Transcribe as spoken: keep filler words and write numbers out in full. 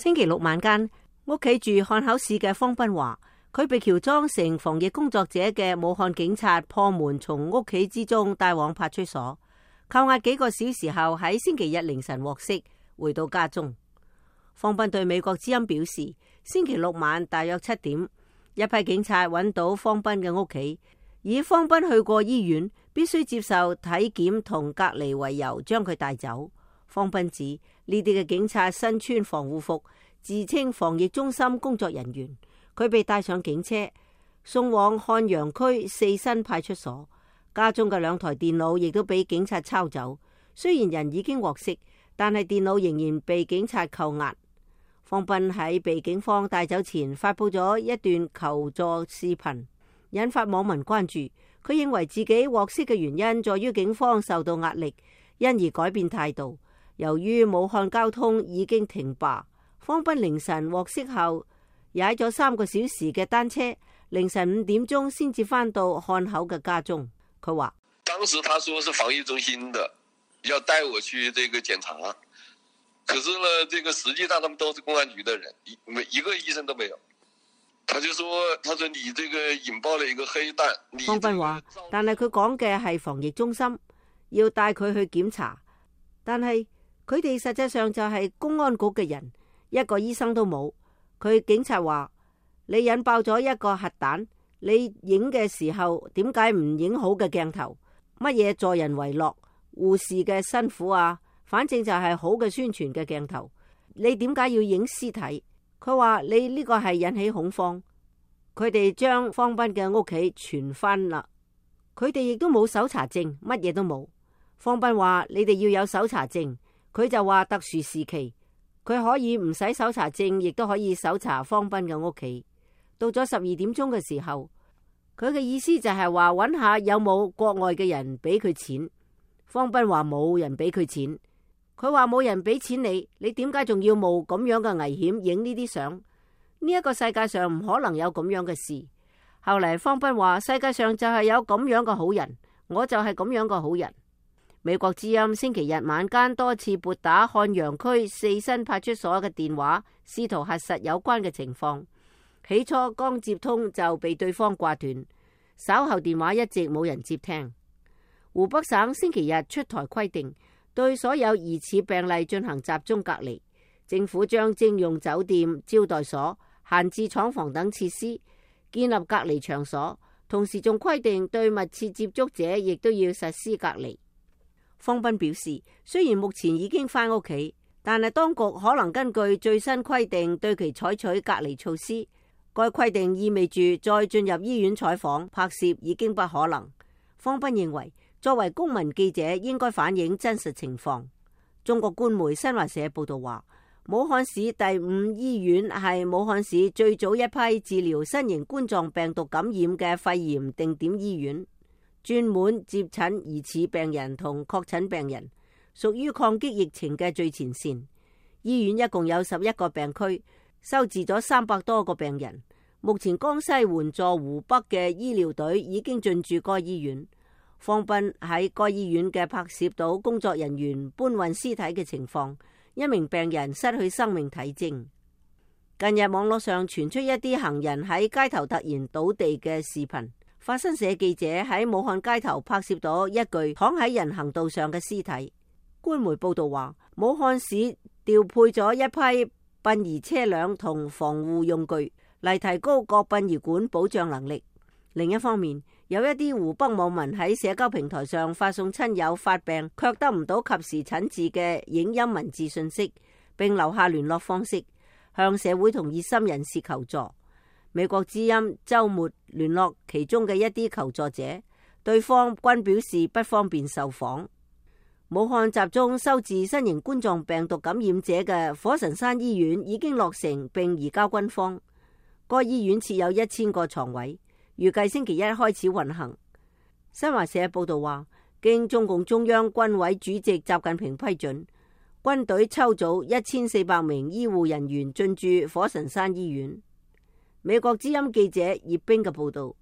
星期六晚間，屋企住漢口市嘅方斌話，佢被喬裝成防疫工作者嘅武漢警察破門，從屋企之中帶往派出所，扣押幾個小時後，喺星期日凌晨獲釋，回到家中。方斌對美國之音表示，星期六晚大約七點，一批警察揾到方斌嘅屋企，以方斌去過醫院，必須接受體檢同隔離為由，將佢帶走。方斌指呢啲嘅警察身穿防護服，自稱防疫中心工作人員。佢被帶上警車，送往漢陽區四新派出所。家中嘅兩台電腦亦都俾警察抄走。雖然人已經獲釋，但係電腦仍然被警察扣押。方斌喺被警方帶走前發佈咗一段求助視頻，引發網民關注。佢認為自己獲釋嘅原因在於警方受到壓力，因而改變態度。由於武漢交通已經停罷，方斌凌晨獲釋後踩咗三個小時嘅單車，凌晨五點鐘先至返到漢口嘅家中。佢話：當時他說是防疫中心的，要帶我去這個檢查，可是呢，這個實際上他們都是公安局的人，一沒一個醫生都沒有。他就說：他說你這個引爆了一個黑彈。方斌話：但係佢講嘅係防疫中心，要帶佢去檢查，但係佢哋實際上就係公安局嘅人，一個醫生都冇。佢警察話：你引爆咗一個核彈，你影嘅時候點解唔影好嘅鏡頭？乜嘢助人為樂、護士嘅辛苦啊？反正就係好嘅宣傳嘅鏡頭。你點解要影屍體？佢話你呢個係引起恐慌。佢哋將方斌嘅屋企傳翻啦，佢哋亦都冇搜查證，乜嘢都冇。方斌話你哋要有搜查證，佢就話特殊時期佢可以唔使搜查證，亦都可以搜查方斌嘅屋企。到咗十二點鐘嘅時候，佢嘅意思就係話揾下有冇國外嘅人俾佢錢。方斌話冇人俾佢錢。佢話冇人俾錢你，你點解仲要冒咁樣嘅危險影呢啲相？呢一個世界上唔可能有咁樣嘅事。後嚟方斌話世界上就係有咁樣嘅好人，我就係咁樣嘅好人。美國之音星期日晚間多次撥打漢陽區四新派出所嘅電話，試圖核實有關嘅情況。起初剛接通就被對方掛斷，稍後電話一直冇人接聽。湖北省星期日出台規定，對所有疑似病例進行集中隔離。政府將徵用酒店、招待所、閒置廠房等設施，建立隔離場所，同時仲規定對密切接觸者亦都要實施隔離。方斌表示，雖然目前已經返屋企，但係當局可能根據最新規定對其採取隔離措施。該規定意味住再進入醫院採訪、拍攝已經不可能。方斌認為，作為公民記者應該反映真實情況。中國官媒新華社報道話，武漢市第五醫院係武漢市最早一批治療新型冠狀病毒感染嘅肺炎定點醫院，專門接診疑似病人同確診病人，屬於抗擊疫情嘅最前線。醫院一共有十一個病區，收治咗三百多個病人。目前江西援助湖北嘅醫療隊已經進駐該醫院。方斌喺該醫院嘅拍攝到工作人員搬運屍體嘅情況，一名病人失去生命體徵。近日網絡上傳出一啲行人喺街頭突然倒地嘅視頻，法新社記者喺武漢街頭拍攝到一具躺喺人行道上嘅屍體。官媒報道話，武漢市調配咗一批殯儀車輛同防護用具嚟提高各殯儀館保障能力。另一方面，有一啲湖北網民喺社交平台上發送親友發病卻得唔到及時診治嘅影音文字信息，並留下聯絡方式，向社會同熱心人士求助。美國之音週末聯絡其中嘅一啲求助者，對方均表示不方便受訪。武漢集中收治新型冠狀病毒感染者嘅火神山醫院已經落成並移交軍方，該醫院設有一千個床位，預計星期一開始運行。新華社報道話，經中共中央軍委主席習近平批准，軍隊抽組一千四百名醫護人員進駐火神山醫院。美國之音記者葉冰嘅報道。